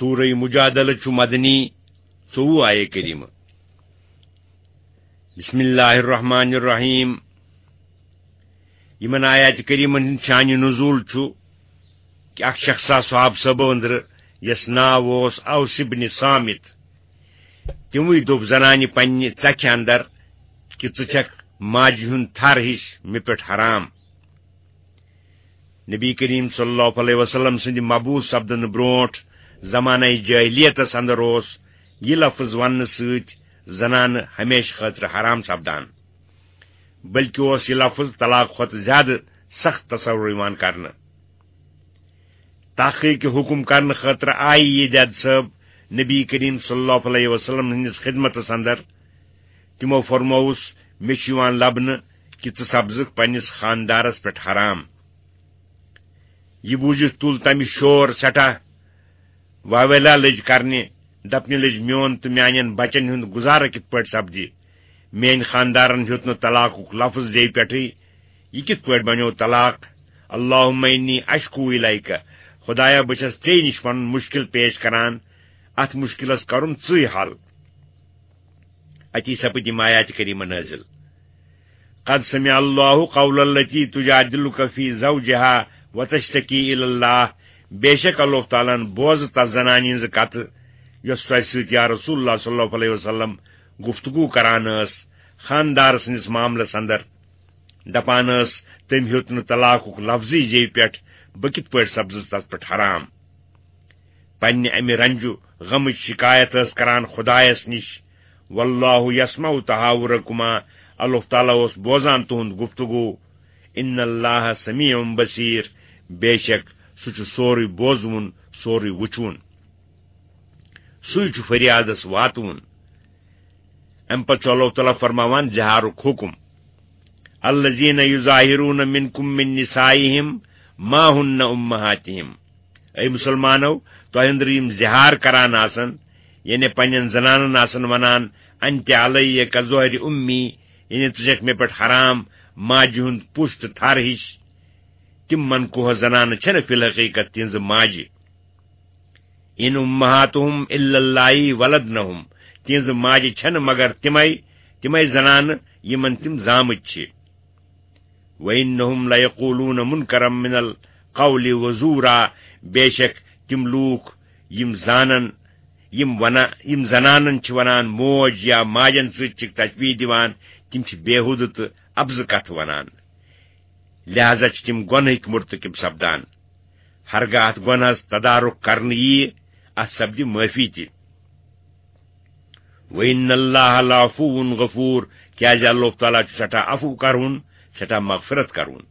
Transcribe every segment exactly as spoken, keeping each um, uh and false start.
سورہ مجادلہ چھُ مدنی، ژوٚوُہ آیے کریمہ۔ بسم اللہ الرحمن الرحیم۔ یِمن آیات کریمن ہُنٛد شانِ نزول چھُ کہِ اکھ شخص آو صحابہٕ صٲبو أنٛدرٕ، یس ناو اوس اوس ابن صامت۔ تِموٕے دوٚپ زنانہِ پننہِ ژکھِ اندر کہِ ژٕ چھکھ ماجہِ ہُنٛد تھر ہِش مےٚ پٮ۪ٹھ حرام۔ نبی کریم صلی اللہ علیہ وسلم سٕنٛدِ مبعوث سپدنہٕ برونٹھ زمانہ جاہلیتس اندر اوس یہِ لفظ وننہٕ سۭتۍ زنانہٕ ہمیشہٕ خٲطرٕ حرام سپدان، بلکہ اوس یہِ لفظ طلاق کھۄتہٕ زیادٕ سخت تصور یِوان کرنہٕ۔ تحقیق حکم کرنہٕ خٲطرٕ آیہِ یہِ دید صٲب نبی کریم صلی اللہ علیہ وسلم ہٕنٛدِس خدمتس اندر۔ تِمو فرمووُس، مےٚ چھُ یِوان لبنہٕ کہِ ژٕ سپزکھ پننِس خاندارس پٮ۪ٹھ حرام۔ یہِ بوٗزِتھ تُل تمہِ شور سٮ۪ٹھاہ۔ واویلا لٔج کرنہِ، دپنہِ لٔج، میون تہٕ میانٮ۪ن بچن ہُنٛد گُزارٕ کِتھ پٲٹھۍ سپدِ؟ میٲنۍ خاندارن ہیوٚت نہٕ طلاقُک لفظ زیوِ پٮ۪ٹھٕے۔ یہِ کِتھ پٲٹھۍ بنیوو طلاق؟ اللہم انی اشکو الیک، خدایا، بہٕ چھس ژے نِش پنُن مُشکِل پیش کران، اتھ مُشکِلس کرُن ژٕے حل۔ اتی سپٕدۍ یِم آیات کریمہ نٲزِل۔ قد سمع اللہ قول التی تجادلک فی زوجها وتشتکی الی اللہ، بے شک اللہ تعالیٰ ہن بوز تس زنانہِ ہٕنٛز کتھ، یۄس تۄہہِ سۭتۍ یا رسول اللہ صلی اللہ علیہ وسلم گفتگو کران ٲس خاندار سٕنٛدِس معاملس اندر۔ دپان ٲس، تٔمۍ ہیوٚت نہٕ طلاقُک لفظٕے زیوِ پٮ۪ٹھ، بہٕ کِتھ پٲٹھۍ سپزٕس تس پٮ۪ٹھ حرام؟ پننہِ امہِ رنجو غمٕچ شکایت ٲس کران خدایس نِش۔ واللہ یسمع تحاورکما، اللہ تعالیٰ اوس بوزان تُہُنٛد گفتگو۔ ان اللہ سمیع بصیر، بے شک سُہ چھُ سورُے بوزوُن، سورُے وُچھوُن۔ سُے چھُ فریادس واتوُن۔ امہِ پتہٕ چھُ اللہ تعالیٰ فرماوان زِہارُک حُکم۔ الذین یظاہرون منکم من نسائہم ما ہن امہاتہم۔ اے مسلمانو، تۄہہِ أنٛدرٕ یِم زِہار کران آسن، یعنی پننٮ۪ن زنانن آسن ونان، انت علیہ کظہر امی، یعنی ژٕ چھکھ مےٚ پٮ۪ٹھ حرام ماجہِ ہُنٛد پُش تہٕ تھر ہِش۔ تِم منقوہ زنانہٕ چھنہٕ فی الحقیقت تِہنٛزٕ ماجہِ۔ ان امہاتہم الا اللائی ولدنہم، تِہنٛزٕ ماجہِ چھنہٕ مگر تِمے، تِمے زنانہٕ یِمن تِم زامٕتۍ چھِ۔ وانہم لیقولون منکرا من القول وزورا، بے شک تِم لوٗکھ یِم زانن، یِم ونان، یِم زنانن چھِ ونان موج یا ماجن سۭتۍ چھِکھ تشبیہ دِوان، تِم چھِ بیہودٕ تہٕ اپزٕ کتھٕ ونان۔ لہذا چھِ تِم گۄنہٕکۍ مرتکب سپدان۔ ہرگاہ اتھ گۄنہس تدارک کرنہٕ ییہِ، اتھ سپدِ معٲفی تہِ۔ وَإِنَّ اللَّهَ لَعَفُوٌّ غَفُورٌ، کیازِ اللہ تعالیٰ چھُ سٮ۪ٹھاہ عفو کرون، سٮ۪ٹھاہ مغفرت کرون۔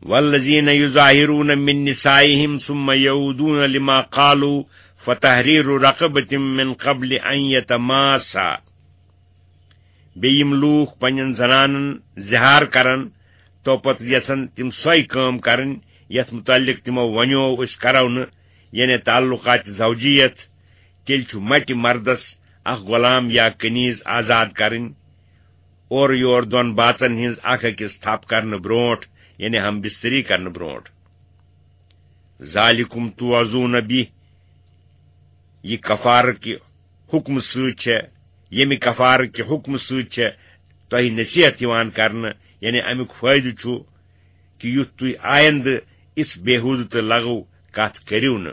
وَالَّذِينَ يُظَاهِرُونَ مِن نِّسَائِهِمْ ثُمَّ يَعُودُونَ لِمَا قَالُوا فَتَحْرِيرُ رَقَبَةٍ مِّن قَبْلِ أَن يَتَمَاسَّا۔ بیٚیہِ یِم لوٗکھ پننٮ۪ن زنانن زِہار کرن، تو پتہٕ یژھن تِم سۄے کٲم کرٕنۍ یتھ متعلق تِمو ونیو أسۍ کرو نہٕ، یعنی تعلقات زوجیت، تیٚلہِ چھُ مٹہِ مردس اکھ غلام یا کنیز آزاد کرٕنۍ، اورٕ یور دۄن باژن ہٕنٛز اکھ أکِس تھپھ کرنہٕ برونٹھ، یعنی ہم بستری کرنہٕ برونٹھ۔ ذالکم توعظون بہ، یہِ کفارٕ کہِ حکمہٕ سۭتۍ چھےٚ، ییٚمہِ کفارٕ کہِ حکمہٕ سۭتۍ چھےٚ تۄہہِ نصیحت یِوان کرنہٕ، یعنی امیُک فٲیدٕ چھُ کہِ یُتھ تُہۍ آیندٕ اِژھ بیہودٕ تہٕ لغو کتھ کٔرِو نہٕ۔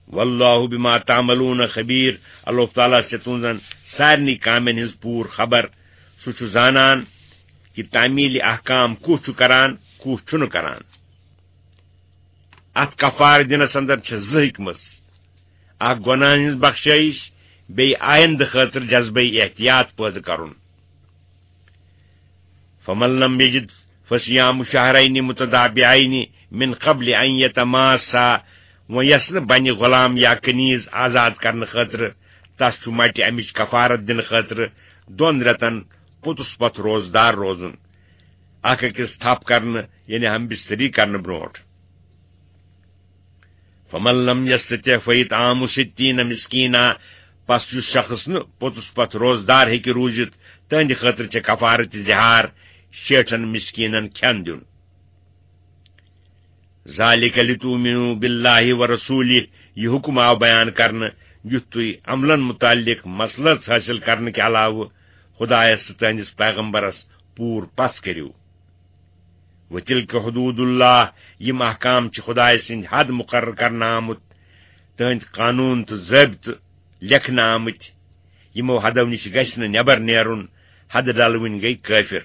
واللہ بما تعملون خبیر، اللہ تعالیٰ چھِ تُہنٛزن سارنٕے کامٮ۪ن ہٕنٛز پوٗرٕ خبر۔ سُہ چھُ زانان کہِ تعمیل احکام کُس چھُ کران، کُس چھُنہٕ کران۔ اتھ کفارٕ دِنس اندر چھِ زٕ حکمت، اکھ گۄناہن ہٕنٛز بخشٲیش، بیٚیہِ آیندٕ خٲطرٕ جذبہٕ احتیاط پٲدٕ کرُن۔ فمن لم یجد فصیام شہرین متتابعین من قبل ان یتماسا، وۄنۍ یس نہٕ بنہِ غلام یا کنیز آزاد کرنہٕ خٲطرٕ، تس چھُ مٹہِ امِچ کفارت دِنہٕ خٲطرٕ دۄن رٮ۪تن پوٚتُس پتھ روزدار روزُن، اکھ أکِس تھپھ کرنہٕ، یعنی ہم بستری کرنہٕ برونٹھ۔ فمن لم یستطع فاطعام ستین مسکینا، پس یُس شخص نہٕ پوٚتُس پتھ روزدار ہیٚکہِ روٗزِتھ، تہنٛدِ خٲطرٕ چھےٚ کفارت ظہار، شیٹھن مسکینن کھٮ۪ن دیُن۔ ذالک لتؤمنوا باللہ ورسولہ، یہِ حکم آو بیان کرنہٕ، یُتھ تُہۍ عملن متعلق مصلحت حٲصِل کرنہٕ کہِ علاوٕ خدایس تہٕ تہنٛدِس پیغمبرس پوٗرٕ پژھ کٔرِو۔ وتلک حدود اللہ، یِم احکام چھِ خدایہِ سٕنٛدۍ حد مقرر کرنہٕ آمٕتۍ، تہنٛدۍ قانوٗن تہٕ ضٲبطہٕ لیکھنہٕ آمٕتۍ، یِمو حدو نِش گژھِ نہٕ نٮ۪بر نیرُن، حدٕ ڈلوٕنۍ گٔے کٲفِر۔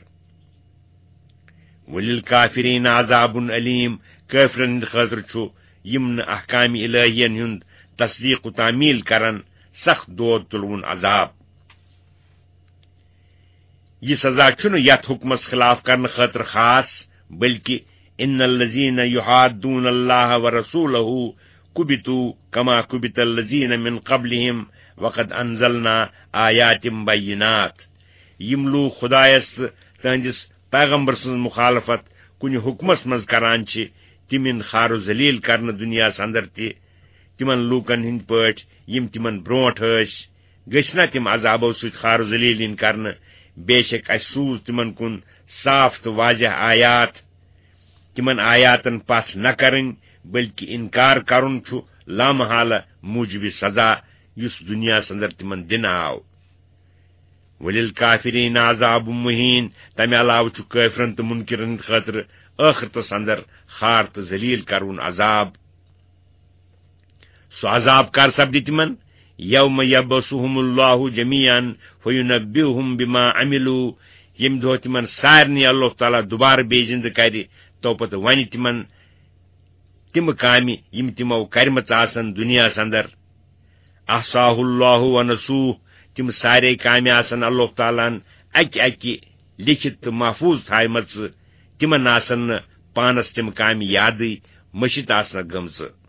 وللکافرین عذاب علیم، کٲفرن ہٕنٛدِ خٲطرٕ چھُ، یِم نہٕ احکام الہین ہُنٛد تصدیق و تعمیل کرن، سخت دود تُلوُن عذاب۔ یہِ سزا چھُنہٕ یتھ حکمس خلاف کرنہٕ خٲطرٕ خاص، بلکہ ان الذین یحادون اللہ ورسولہ کبتوا کما کبت الذین من قبلہم وقد انزلنا آیات بینات۔ یِم لوٗکھ خدایس تہٕ تہنٛدِس پیغمبر سٕنٛز مخالفت کُنہِ حکمس منٛز کران چھِ، تِم یِن خار و ذلیل کرنہٕ دُنیاہس اندر تہِ، تِمن لوٗکن ہٕنٛدۍ پٲٹھۍ، یِم تِمن برونٛٹھ ٲسۍ۔ گٔژھۍ نا تِم عذابو سۭتۍ خار و ذلیل یِنۍ کرنہٕ؟ بے شک اَسہِ سوٗز تِمن کُن صاف تہٕ واضح آیات۔ تِمن آیاتن پژھ نہ کرٕنۍ، بلکہ انکار کرُن چھُ لامحالہ موجب سزا، یُس دُنیاہس اندر تِمن دِنہٕ آو۔ وللکافرین عذاب مہین، تمہِ علاوٕ چھُ کٲفرن تہٕ منکرن ہٕنٛدِ خٲطرٕ ٲخرتس اندر خار تہٕ ذلیل کرون عذاب۔ سُہ عذاب کر سپدِ تِمن؟ یوم یبعثہم اللہ جمیعا فینبئہم بما عملوا، ییٚمہِ دۄہ تِمن سارنٕے اللہ تعالیٰ دوبارٕ بیٚیہِ زندٕ کرِ، تو پتہٕ ونہِ تِمن تِم کامہِ یِم تِمو کرِمژٕ آسن دُنیاہس اندر۔ احصاہ اللہ ونسوہ، تِم سارے کامہِ آسن اللہ تعالیٰ ہن اکہِ اکہِ لیکھِتھ تہٕ محفوظ تھایمژٕ، تِمن آسن نہٕ پانس تِم کامہِ یادٕے، مٔشِتھ آسنکھ گٔمژٕ۔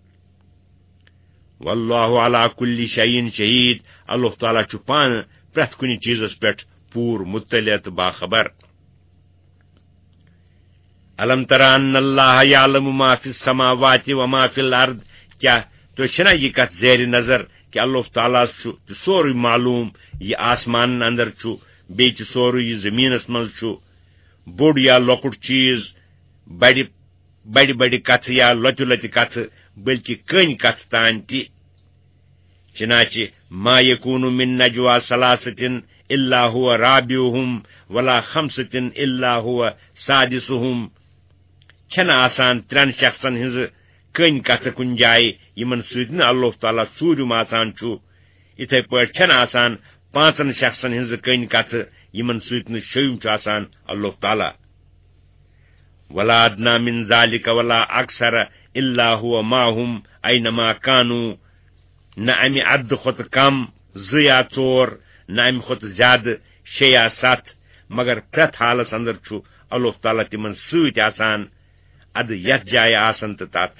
واللہ علی کل شیء شہید، اللہ تعالیٰ چھُ پانہٕ پرٛٮ۪تھ کُنہِ چیٖزس پٮ۪ٹھ پوٗرٕ مطلع تہٕ باخبر۔ الم تر ان اللہ یعلم ما فی السماوات و ما فی الارض، کیٛاہ تُہۍ چھِنا یہِ کتھ زیر نظر کہِ اللہ تعالیٰ ہس چھُ تہِ سورُے معلوم، یہِ آسمانن اندر چھُ، بیٚیہِ تہِ سورُے یہِ زٔمیٖنس منٛز چھُ، بوٚڑ یا لۄکُٹ چیٖز، بڑِ بڑِ بڑِ کتھٕ یا لۄتہِ لۄتہِ کتھٕ، بلکہ کٔنۍ کتھٕ تام تہِ۔ چنانچہ ما یکون من نجوی ثلاثة الا هو رابعهم ولا خمسة الا هو سادسهم۔ چھنہٕ آسان ترٛٮ۪ن شخصن ہٕنٛزٕ کٔنۍ کتھٕ کُنہِ جایہِ، یِمن سۭتۍ نہٕ اللہ تعالیٰ ژوٗرِم آسان چھُ۔ یِتھے پٲٹھۍ چھنہٕ آسان پانٛژن شخصن ہٕنٛزٕ کٔنۍ کتھٕ، یِمن سۭتۍ نہٕ شیٚیِم چھُ آسان اللہ تعالیٰ۔ ولا ادنی من ذلك ولا اکثر الا هو معهم اینما کانوا۔ نہ امہِ عددٕ کھۄتہٕ کم، زٕ یا ژور، نہ امہِ کھۄتہٕ زیادٕ، شےٚ یا ستھ، مگر پرٛٮ۪تھ حالس اندر چھُ اللہ تعالیٰ تِمن سۭتۍ آسان، ادٕ یتھ جایہِ آسن تہٕ تتھ۔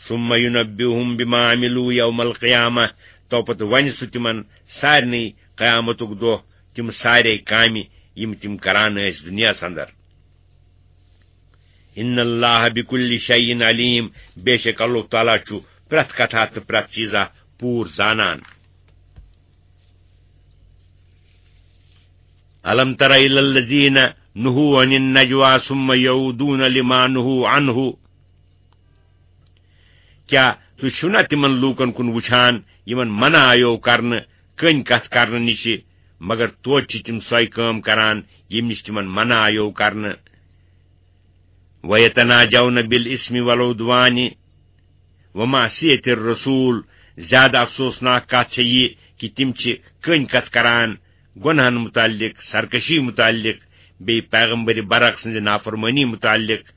ثم ينبئهم بما عملوا يوم القيامة، تو پتہٕ ونہِ سُہ تِمن سارنٕے قیامتُک دۄہ تِم سارے کامہِ، یِم تِم کران ٲسۍ دُنیاہس اندر۔ ان اللہ بكل شيء عليم، بے شک اللہ تعالیٰ چھُ پرٛٮ۪تھ کتھا تہٕ پرٛٮ۪تھ چیٖزا پوٗرٕ زانان۔ الم تر الى الذين نهوا عن النجوى ثم يعودون لما نهوا عنه۔ کیٛاہ تُہۍ چھِو نا تِمن لوٗکن کُن وُچھان، یِمن منع آیو کرنہٕ کٔنۍ کتھ کرنہٕ نِشہِ، مگر توتہِ چھِ تِم سۄے کٲم کران، ییٚمہِ نِش تِمن منع آیو کرنہٕ؟ وَيَتَنَاجَوْنَ بِالْإِثْمِ وَالْعُدْوَانِ وَمَعْصِيَتِ الرَّسُولِ۔ زیادٕ افسوسناک کتھ چھےٚ یہِ کہِ تِم چھِ کٔنۍ کتھ کران گۄنہن متعلق، سرکشی متعلق، بیٚیہِ پیغمبر برحق سٕنزِ نافرمٲنی متعلق۔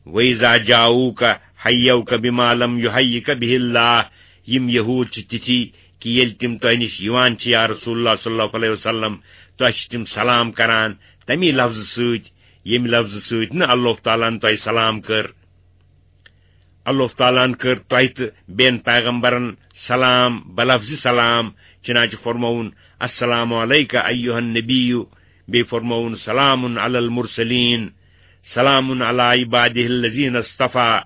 وَإِذَا جَاءُوكَ حَيَّوْكَ بِمَا لَمْ يُحَيِّكَ بِهِ اللَّهُ۔ یِم یہود چھِ تِتھی کہِ ییٚلہِ تِم تۄہہِ نِش یِوان چھِ، یا رسول اللہ صلی اللہ علیہ وسلم، تۄہہِ چھِ تِم سلام کران تمی لفظہٕ سۭتۍ، ییٚمہِ لفظہٕ سۭتۍ نہٕ اللہ تعالیٰ ہن تۄہہِ سلام کٔر۔ اللہ تعالیٰ ہن کٔر تۄہہِ تہٕ بیٚین پیغمبرن سلام بلفظِ سلام، چنانچہ فرمووُن، السلام علیک ایھا النبی، بیٚیہِ فرمووُن، سلام علی المرسلین، سلام علی عبادہ الذین اصطفیٰ۔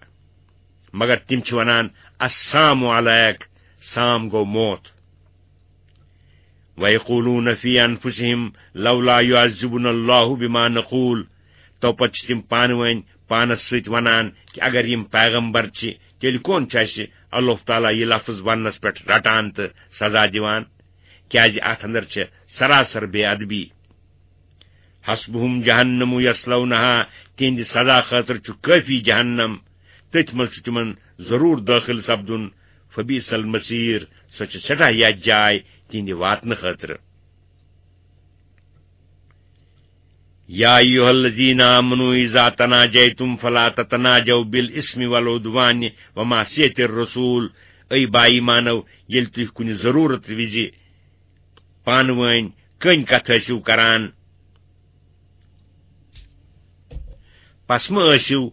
مگر تِم چھِ ونان، السام علیک، سام گوٚو موت۔ وَيَقُولُونَ فِي أَنفُسِهِمْ لَوْلَا يُعَذِّبُنَا اللَّهُ بِمَا نَقُولُ۔ تو پتہٕ چھِ تِم پانہٕ ؤنۍ پانس سۭتۍ ونان کہِ اگر یِم پیغمبر چھِ، تیٚلہِ کون چھُ اَسہِ اللہ تعالیٰ یہِ لفظ وننس پٮ۪ٹھ رٹان تہٕ سزا دِوان؟ کیازِ اتھ اندر چھِ سراسر بے ادبی۔ حسبهم جہنم یصلونها، تِہنٛدِ سزا خٲطرٕ چھُ کٲفی جہنم، تٔتھۍ منٛز چھُ تِمن ضروٗر دٲخل سپدُن۔ فبئس المصیر، سۄ چھِ سٮ۪ٹھاہ یتھ جاے تِہنٛدِ واتنہٕ خٲطرٕ۔ یا ایھا الذین آمنوا اذا تناجیتم فلا تتناجوا بالاثم والعدوان ومعصیت الرسول، اے با ایمانو، ییٚلہِ تُہۍ کُنہِ ضروٗرت وِزِ پانہٕ وٲنۍ کٔنۍ کتھ ٲسِو کران، پس مہ ٲسِو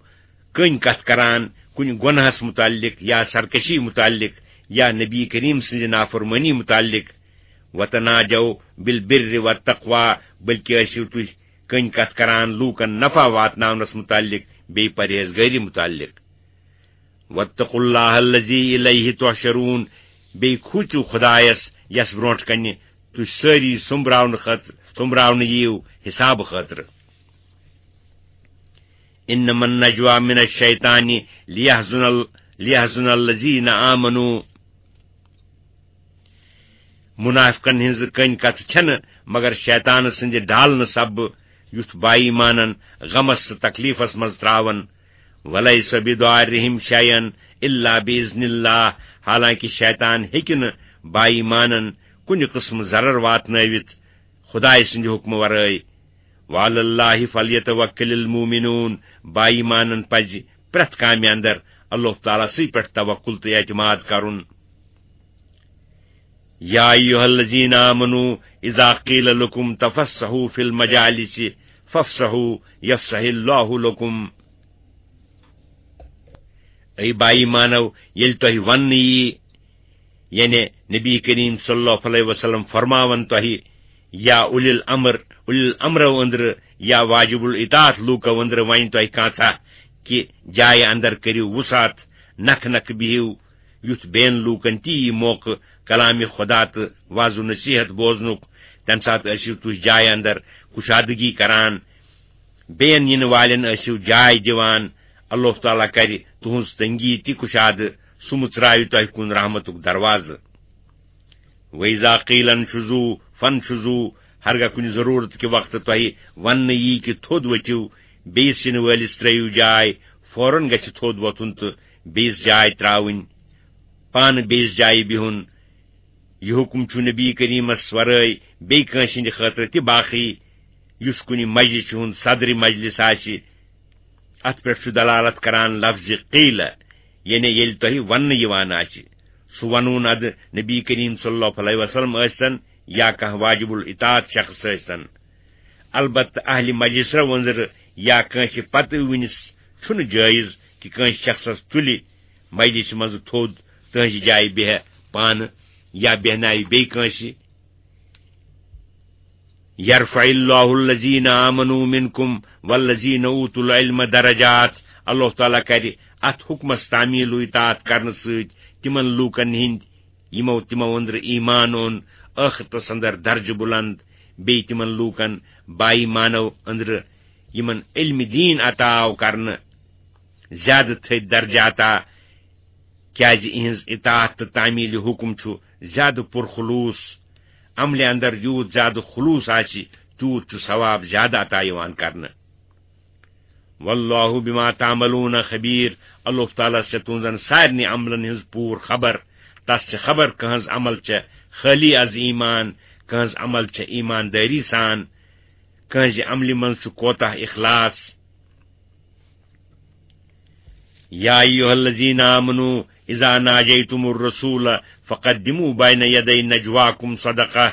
کٔنۍ کتھ کران کُنہِ گۄناہس متعلق یا سرکشی متعلق یا نبی کریم سٕنزِ نافرمٲنی متعلق۔ وتناجوا بالبر والتقوی، بلکہ ٲسِو تُہۍ کٔنۍ کتھ کران لوٗکن نفع واتناونس متعلق، بیٚیہِ پرہیزگٲری متعلق۔ واتقوا اللہ الذی الیہ تحشرون، بیٚیہِ کھوٗژِو خدایس یس برونٹھ کنہِ تُہۍ سٲری سوٚمبراونہٕ خٲطرٕ، سوٚمبراونہٕ یِیِو حسابہٕ خٲطرٕ۔ انما النجوى من الشیطان لیحزن ال-، لیحزن الذین آمنوا۔ منافقن ہٕنٛز کٔنۍ کتھ چھنہٕ مگر شیطان سٕنٛدِ ڈالنہٕ سببہٕ، یُتھ با ایمانن غمس تہٕ تکلیفس منٛز تراون۔ ولیس بضارہم شیئا الا باذن اللہ، حالانکہ شیطان ہیٚکہِ نہٕ با ایمانن کُنہِ قٕسمہٕ ضرر واتنٲوِتھ خدایہِ سٕنٛدِ حُکمہٕ ورٲے۔ وعلی اللہ فلیتوکل المؤمنون، با ایمانن پزِ پرٛٮ۪تھ کامہِ اندر اللہ تعالیٰ سٕے پٮ۪ٹھ توکل تہٕ اعتماد کرُن۔ یا ایھا الذین آمنوا اذا قیل لکم تفسحوا فی المجالس فافسحوا یفسح اللہ لکم۔ اے با ایمانو، ییٚلہِ تۄہہِ وننہٕ یی، یعنی نبی کریم صلی اللہ علیہ وسلم فرماون تۄہہِ، یا اولی الامر، اولی الامرو أنٛدرٕ یا واجب الاطاعت لوٗکو أنٛدرٕ ونہِ تۄہہِ کانٛژھا کہِ جایہِ اندر کٔرِو وُسعت، نکھٕ نکھٕ بِہِو، یُتھ بیٚین لوٗکن تہِ یی موقعہٕ کلامِ خدا تہٕ وعظ و نصیحت بوزنُک، تمہِ ساتہٕ ٲسِو تُہۍ جایہِ اندر کُشادگی کران۔ بیٚین یِنہٕ والٮ۪ن ٲسِو جاے دِوان۔ اللہ تعالیٰ کرِ تُہٕنٛز تنگی تہِ کُشادٕ، سُہ مُژراوِ تۄہہِ کُن رحمتُک دروازٕ۔ وَإِذَا قِيلَ انشُزُوا فَانشُزُوا، ہرگاہ کُنہِ ضروٗرت کہِ وقتہٕ تۄہہِ وننہٕ یی کہِ تھوٚد ؤتھِو، بیٚیِس یِنہٕ وٲلِس ترٲوِو جاے، فوراً گژھِ تھوٚد وۄتھُن تہٕ بیٚیِس جاے ترٛاوٕنۍ، پانہٕ بیٚیِس جایہِ بِہُن۔ یہِ حُکم چھُ نبی کریٖمس ورٲے بیٚیہِ کٲنٛسہِ ہٕنٛدِ خٲطرٕ تہِ باقٕے، یُس کُنہِ مجلسہِ ہُنٛد صدرِ مجلس آسہِ۔ اتھ پٮ۪ٹھ چھُ دلالت کران لفظِ قیل، یعنی ییٚلہِ تۄہہِ وننہٕ یِوان آسہِ۔ سُہ ونُن ادٕ نبی کریم صلی اللہ علیہ وسلم ٲسۍتن یا کانٛہہ واجب الاطاعت شخص ٲسۍتن۔ البتہ اہلِ مجلسو أنٛدرٕ یا کٲنٛسہِ پتہٕ وٕنِس چھُنہٕ جٲیز کہِ کٲنٛسہِ شخصس تُلہِ مجلسہِ منٛزٕ تھوٚد، تٕہٕنٛزِ جایہِ بیہہ پانہٕ یا بیہناوِ بیٚیہِ کٲنٛسہِ۔ یرفع اللہ الذین آمنوا منکم والذین اوتوا العلم درجات۔ اللہ تعالیٰ کرِ اتھ حکمس تعمیل و اطاعت کرنہٕ سۭتۍ تِمن لوٗکن ہٕنٛدۍ یِمو تِمو أنٛدرٕ ایمان اوٚن، ٲخرتس اندر درجہٕ بلند، بیٚیہِ تِمن لوٗکن با ایمانو أنٛدرٕ یِمن علمِ دین عطا آو کرنہٕ، زیادٕ تھٔدۍ درجہٕ عطا، کیازِ اِہِنٛز اطاعت تہٕ تعمیل حکم چھُ زیادٕ پُرخلوص۔ عملہِ اندر یوٗت زیادٕ خلوص آسہِ، تیوٗت چھُ ثواب زیادٕ عطا یِوان کرنہٕ۔ واللہ بما تعملون خبیر، اللہ تعالیٰ چھِ تُہنٛزن سارنٕے عملن ہٕنٛز پوٗرٕ خبر۔ تس چھِ خبر کٕہٕنٛز عمل چھِ خٲلی از ایمان، کٕہٕنٛز عمل چھِ ایماندٲری سان، کٕہٕنٛزِ عملہِ منٛز چھُ کوتاہ اخلاص۔ یا ایھا الذین آمنوا اذا ناجیتم الرسول فقدموا بین یدی نجواکم صدقہ۔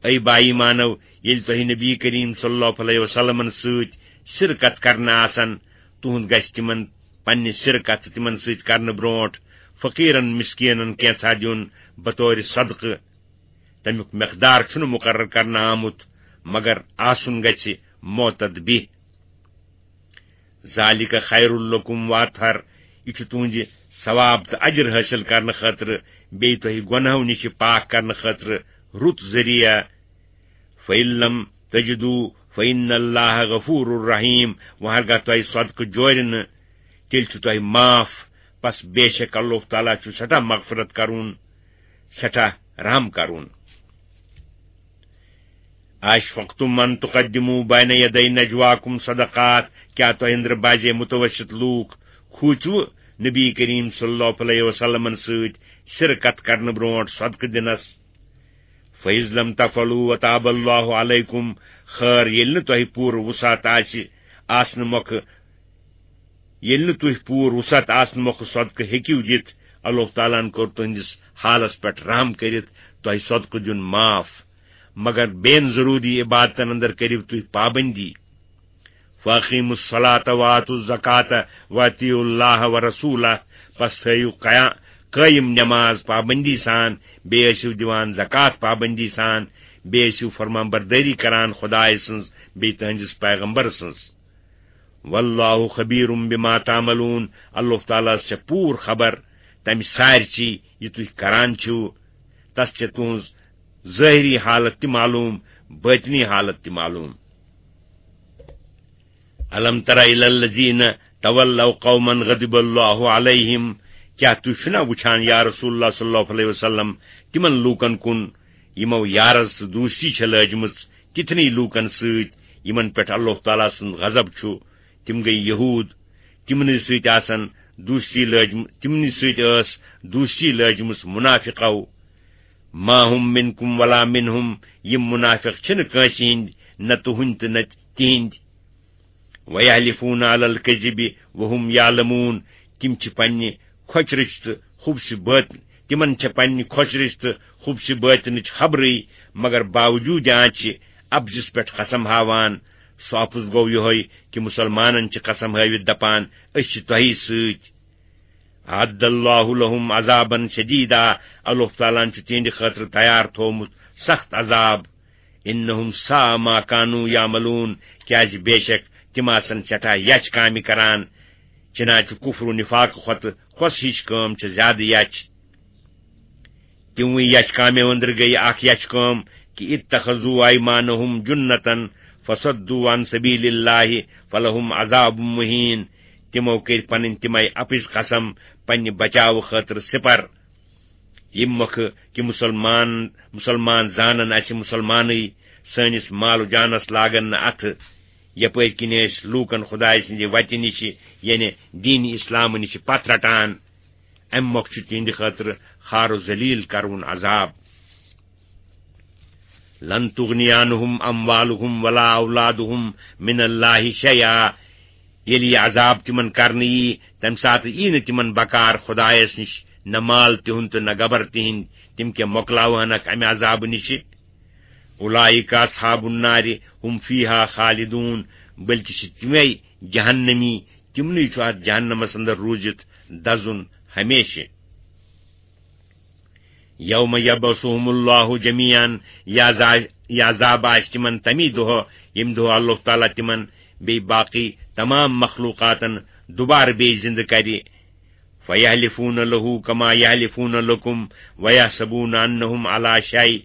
اے با ایمانو، ییٚلہِ تۄہہِ نبی کریم صلی اللہ علیہ وسلمن سۭتۍ سِر کتھ کرنہٕ آسن، تُہُنٛد گژھِ تِمن پننہِ سِر کتھ تِمن سۭتۍ کرنہٕ برونٹھ فقیرن مسکینن کینژھا دیُن بطورِ صدقہٕ۔ تمیُک مقدار چھُنہٕ مقرر کرنہٕ آمُت، مگر آسُن گژھِ معتد بِہ۔ ذالک خیر لکم واطہر، یہِ چھُ تُہنٛدِ ثواب تہٕ اجر حٲصِل کرنہٕ خٲطرٕ، بیٚیہِ تۄہہِ گۄناہو نِش پاک کرنہٕ خٲطرٕ رُت ذٔریعہٕ۔ فَإِن لَّمْ تَجِدُوا فإن الله غفور رحيم، وۄنۍ ہرگاہ تۄہہِ صدقہٕ جورِ نہٕ، تیٚلہِ چھُ تۄہہِ معاف۔ پس بے شک اللہ تعالیٰ چھُ سٮ۪ٹھاہ مغفرت کرون، سٮ۪ٹھاہ رحم کرون۔ أَشْفَقْتُمْ أَنْ تُقَدِّمُوا بَيْنَ يَدَيْ نَجْوَاكُمْ صَدَقَاتٍ، کیٛاہ تۄہہِ أنٛدرٕ باسے متوسط لوٗکھ کھوٗژوٕ نبی کریم صلی اللہ علیہ وسلمن سۭتۍ سِرٕ کتھ کرنہٕ برونٹھ صدقہٕ دِنس؟ فَإِذْ لَمْ تَفْعَلُوا وَتَابَ اللَّهُ عَلَيْكُمْ، خٲر، ییٚلہِ نہٕ تۄہہِ پوٗرٕ وُسعت آسہِ، آسنہٕ مۄکھٕ، ییٚلہِ نہٕ تُہۍ پوٗرٕ وُسعت آسنہٕ مۄکھٕ صدقہٕ ہیٚکِو دِتھ، اللہ تعالیٰ ہن کوٚر تُہنٛدِس حالس پٮ۪ٹھ رحم کٔرِتھ تۄہہِ صدقہٕ دیُن معاف، مگر بین ضروٗری عبادتن اندر کٔرِو تُہۍ پابندی۔ فَأَقِیمُوا الصَّلَاةَ وَآتُوا الزَّکَاةَ وَأَطِیعُوا اللَّهَ وَرَسُولَهُ، پس تھٲیِو قیا-، قٲیِم نماز پابندی سان، بیٚیہِ ٲسِو دِوان زکوٰۃ پابندی سان، بیٚیہِ ٲسِو فرمان بردٲری کران خدایہِ سٕنٛز بیٚیہِ تُہنٛدِس پیغمبر سٕنٛز۔ وَاللَّهُ خَبِیرٌ بِمَا تَعْمَلُونَ، اللہ تعالیٰ ہس چھےٚ پوٗرٕ خبر تمہِ سارِچی یہِ تُہۍ کران چھِو، تس چھےٚ تُہنٛز ظٲہری حالت تہِ معلوٗم، باطنی حالت تہِ معلوٗم۔ أَلَمْ تَرَ إِلَى الَّذِينَ تَوَلَّوْا قَوْمًا غَضِبَ اللَّهُ عَلَيْهِمْ، کیٛاہ تُہۍ چھِو نا وُچھان یا رسول اللہ صلی اللہ علیہ وسلم تِمن لوٗکن کُن یِمو یارز تہٕ دوستی چھےٚ لٲجمٕژ تِتھنٕے لوٗکن سۭتۍ یِمن پٮ۪ٹھ اللہ تعالیٰ سُنٛد غضب چھُ؟ تِم گٔے یہوٗد، تِمنٕے سۭتۍ آسن دوستی لٲجم-، تِمنٕے سۭتۍ ٲس دوستی لٲجمٕژ منافقو۔ مَا هُمْ مِنْکُمْ وَلَا مِنْهُمْ، یِم منافق چھِنہٕ کٲنٛسہِ ہِنٛدۍ، نہ تُہنٛدۍ تہٕ نہ تِہنٛدۍ۔ وَیَحْلِفُونَ عَلَى الْکَذِبِ وَهُمْ یَعْلَمُونَ، تِم چھِ پننہِ کھۄژِ رٕژِ تہٕ خبثِ بٲطنہِ، تِمن چھےٚ پننہِ کھۄژِ رٕژِ تہٕ خبثِ بٲطنٕچ خبرٕے، مگر باوجوٗد آنچہِ اپزِس پٮ۪ٹھ قسم ہاوان۔ سُہ اپُز گوٚو یِہوٚے کہِ مُسلمانن چھِ قسم ہٲوِتھ دپان، أسۍ چھِ تۄہی سۭتۍ۔ أَعَدَّ اللَّهُ لَهُمْ عَذَابًا شَدِیدًا، اللہ تعالیٰ ہن چھُ تِہنٛدِ خٲطرٕ تیار تھوومُت سخت عذاب۔ إِنَّهُمْ سَاءَ مَا كَانُوا یَعْمَلُونَ، کیٛازِ بے شک تِم آسن سٮ۪ٹھاہ یچھ کامہِ کران، چنانچہ کفر و نفاق کھۄتہٕ کۄس ہِش کٲم چھِ زیادٕ یچھ؟ تِموٕے یچھ کامیو أنٛدرٕ گٔیہِ اکھ یچھ کٲم کہِ اتخذوا ایمانہم جنتن فصدوا عن سبیل اللہ فلہم عذاب مہین۔ تِمو کٔرۍ پنٕنۍ تِمے اپٕز قسم پننہِ بچاوٕ خٲطرٕ سپر۔ ییٚمہِ مۄکھٕ کہِ مسلمان، مسلمان زانن اسہِ مسلمانٕے، سٲنِس مال و جانس لاگن نہٕ اتھٕ، یپٲرۍ کِنۍ أسۍ لوٗکن خدایہِ سٕنٛدِ وتہِ نِشہِ، یعنی دین اسلام نِشہِ پتھ رٹان۔ امہِ مۄکھٕ چھُ تِہنٛدِ خٲطرٕ خار و ذلیل کرون عذاب۔ لن تغنی عنہم اموالہم ولا اولادہم من اللہ شیئا۔ ییٚلہِ یہِ عذاب تِمن کرنہٕ یی، تمہِ ساتہٕ یی نہٕ تِمن بکار خدایس نِش نہ مال تِہُنٛد تہٕ نہ گبر تِہنٛدۍ، تِم کیٛاہ مۄکلاوہنکھ امہِ عذابہٕ نِشہِ؟ اولئک اصحاب النار ہم فیہا خالدون، بلکہِ چھِ تِمے جہنمی، تِمنٕے چھُ اتھ جہنمس اندر روٗزِتھ دزُن ہمیشہِ۔ یوم یبعثہم اللہ جمیعا، یہِ عذا-، یہِ عذاب آسہِ تِمن تمی دۄہ، ییٚمہِ دۄہ اللہ تعالیٰ تِمن بیٚیہِ باقٕے تمام مخلوقاتن دوبارٕ بیٚیہِ زِندٕ کرِ۔ فیحلفون لہ کما یحلفون لکم ویحسبون انہم علی شیء۔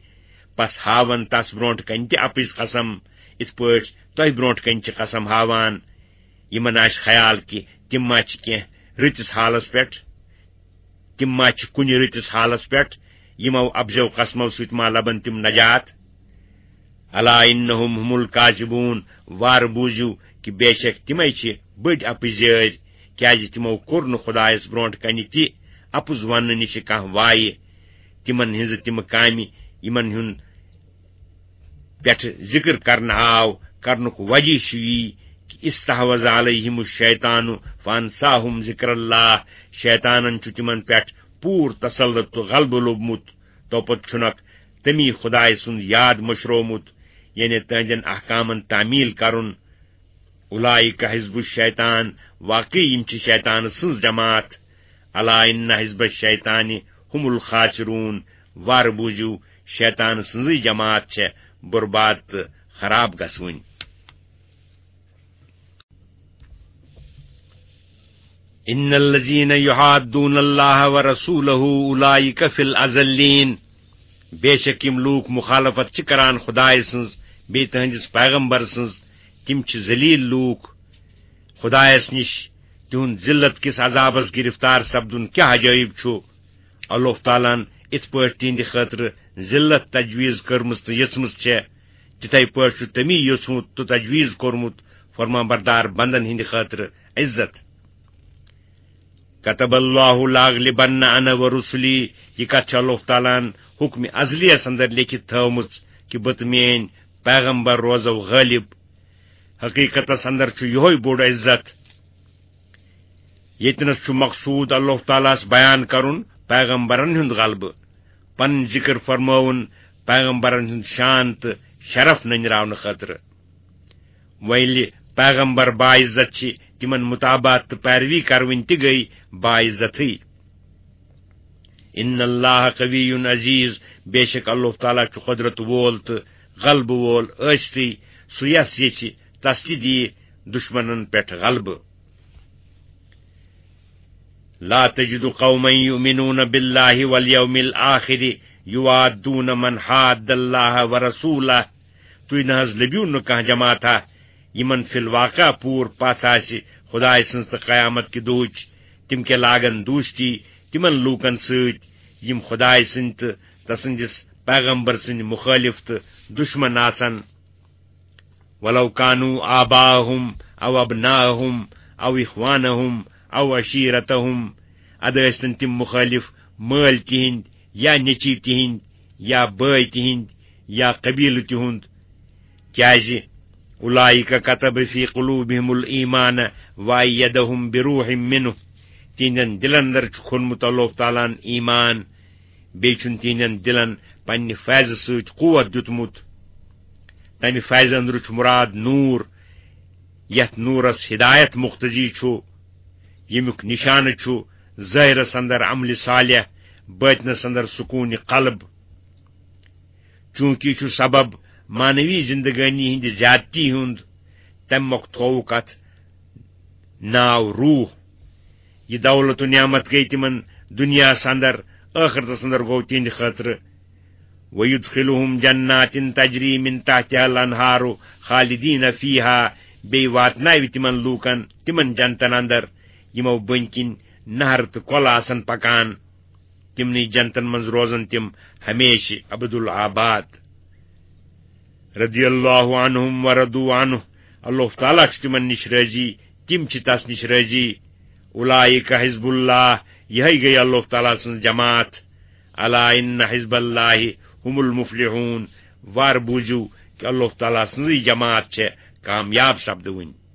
پس ہاون تس برونٹھ کنہِ تہِ اپٕز قسم، اِتھ پٲٹھۍ تۄہہِ برونٹھ کنہِ چھِ قسم ہاوان۔ یِمن آسہِ خیال کہِ تِم ما چھِ کینٛہہ رٕتِس حالس پٮ۪ٹھ، تِم ما چھِ کُنہِ رٕتِس حالس پٮ۪ٹھ، یِمو اپزیو قسمو سۭتۍ ما لبن تِم نجات؟ الا انہم ہم الکاذبون، وارٕ بوٗزِو کہِ بے شک تِمے چھِ بٔڑۍ اپٕزیٲرۍ، کیازِ تِمو کوٚر نہٕ خدایس برونٹھ کنہِ تہِ اپُز وننہٕ نِش کانٛہہ وایہِ۔ تِمن ہٕنٛزٕ تِمہٕ کامہِ، یِمن ہُنٛد پٮ۪ٹھ ذکر کرنہٕ آو، کرنُک وجہ چھُ یی کہِ استحوذ علیہم الشیطان فانساہم ذکر اللہ، شیطانن چھُ تِمن پٮ۪ٹھ پوٗرٕ تسلط تہٕ غلبہٕ لوٚبمُت، توپتہٕ چھُنکھ تٔمی خدایہِ سُنٛد یاد مٔشرومُت، یعنی تہنٛدٮ۪ن احکامن تعمیل کرُن۔ اولئک حزب الشیطان، واقعی یِم چھِ شیطان سٕنٛز جماعت۔ الا ان حزب الشیطان ہم الخاسرون، وارٕ بوٗزِو، شیطان سٕنٛزٕے جماعت چھےٚ برباد تہٕ خراب گژھوٕنۍ۔ ان الذین یحادون اللہ ورسولہ اولئک فی الاذلین، بے شک یِم لوٗکھ مخالفت چھِ کران خدایہِ سٕنٛز، بیٚیہِ تُہٕنٛدِس پیغمبر سٕنٛز، تِم چھِ ذلیل لوٗکھ۔ خدایس نِش تِہُنٛد ذلت کِس عذابس گرفتار سپدُن کیٛاہ عجٲیب چھُ؟ اللہ تعالیٰ ہن اِتھ پٲٹھۍ تِہنٛدِ خٲطرٕ ذلت تجویز کٔرمٕژ تہٕ یژھمٕژ چھےٚ، تِتھے پٲٹھۍ چھُ تٔمی یوٚژھمُت تہٕ تجویز کوٚرمُت فرمانبردار بندن ہٕنٛدِ خٲطرٕ عزت۔ كتب الله لأغلبن أنا ورسلي، یہِ کتھ چھِ اللہ تعالیٰ ہن حکمِ ازلیس اندر لیکھِتھ تھٲومٕژ کہِ بہٕ تہٕ میٲنۍ پیغمبر روزو غٲلب۔ حقیقتس اندر چھُ یِہوے بوٚڑ عزت۔ ییٚتنس چھُ مقصود اللہ تعالیٰ ہس بیان کرُن پیغمبرن ہُنٛد غلبہٕ، پنٕنۍ ذکر فرمٲوُن پیغمبرن ہُنٛد شان تہٕ شرف نٔنراونہٕ خٲطرٕ۔ وۄنۍ ییٚلہِ پیغمبر باعزت چھِ، تِمن مطابعت تہٕ پیروی کرٕنۍ تہِ گٔے باعزتٕے۔ ان اللہ قوی عزیز، بے شک اللہ تعالیٰ چھُ قدرت وول تہٕ غلبہٕ وول، ٲستٕے سُہ یس یژھِ تس تہِ دِیہِ دشمنن پٮ۪ٹھ غلبہٕ۔ لا تجد قوما يؤمنون بالله واليوم الآخر يوادون من حاد الله ورسوله۔ تُہۍ نہ حظ لٔبِو نہٕ کانٛہہ جماعتھا یِمن فی الواقع پوٗر پژھ آسہِ خدایہِ سٕنٛز تہٕ قیامت کہِ دۄہٕچ، تِم کیٛاہ لاگن دوستی تِمن لوٗکن سۭتۍ یِم خدایہِ سٕنٛدۍ تہٕ تسٕنٛدِس پیغمبر سٕنٛدۍ مُخٲلف تہٕ دشمن آسن۔ ولو كانوا آباءهم أو أبناءهم أو إخوانهم أو عشيرتهم، ادٕ ٲسۍتن تِم مُخٲلف مٲلۍ تِہنٛدۍ یا نیٚچِوۍ تِہنٛدۍ یا بٲے تِہنٛدۍ یا قبیلہٕ تِہُنٛد، کیازِ اولئک کتب فی قلوبہم الایمان وایدہم بروح منہ، تِہنٛدٮ۪ن دِلن اندر چھُ کھوٚنمُت اللہ تعالیٰ ہن ایمان، بیٚیہِ چھُن تِہنٛدٮ۪ن دِلن پننہِ فیضہٕ سۭتۍ قوت دیُتمُت۔ تمہِ فیضہٕ اندرٕ چھُ مراد نوٗر، یتھ نوٗرس ہدایت مقتضی چھُ، ییٚمیُک نشانہٕ چھُ ظٲہرس اندر عملِ صالح، باطنس اندر سکوٗنِ قلب۔ چوٗنٛکہِ یہِ چھُ سبب معنوی زندگٲنی ہٕنٛدِ زیادتی ہُنٛد، تمہِ مۄکھ تھووُکھ اتھ ناو روح۔ یہِ دولت و نعمت گٔے تِمن دُنیاہس اندر، ٲخرتس اندر گوٚو تِہنٛدِ خٲطرٕ۔ وَيُدْخِلُهُمْ جَنَّاتٍ تَجْرِي مِنْ تَحْتِهَا الْأَنْهَارُ خَالِدِينَ فِيهَا، بیٚیہِ واتناوِ تِمن لوٗکن تِمن جنتن اندر، یِمو بٔنۍ کِنۍ نہر تہٕ کۄلہٕ آسن پکان۔ تِمنٕے جنتن منٛز روزن تِم ہمیشہِ ابد الآباد۔ رضی اللہ عنہم ورضوا عنہ، اللہ تعالیٰ چھُ تِمن نِش رٲضی، تِم چھِ تس نِش رٲضی۔ اولئک حزب اللہ، یِہے گٔے اللہ تعالیٰ سٕنٛز جماعت۔ الا ان حزب اللہ هم المفلحون، وار بوٗزِو کہِ اللہ تعالیٰ سٕنٛزٕے جماعت چھےٚ کامیاب سپدوٕنۍ۔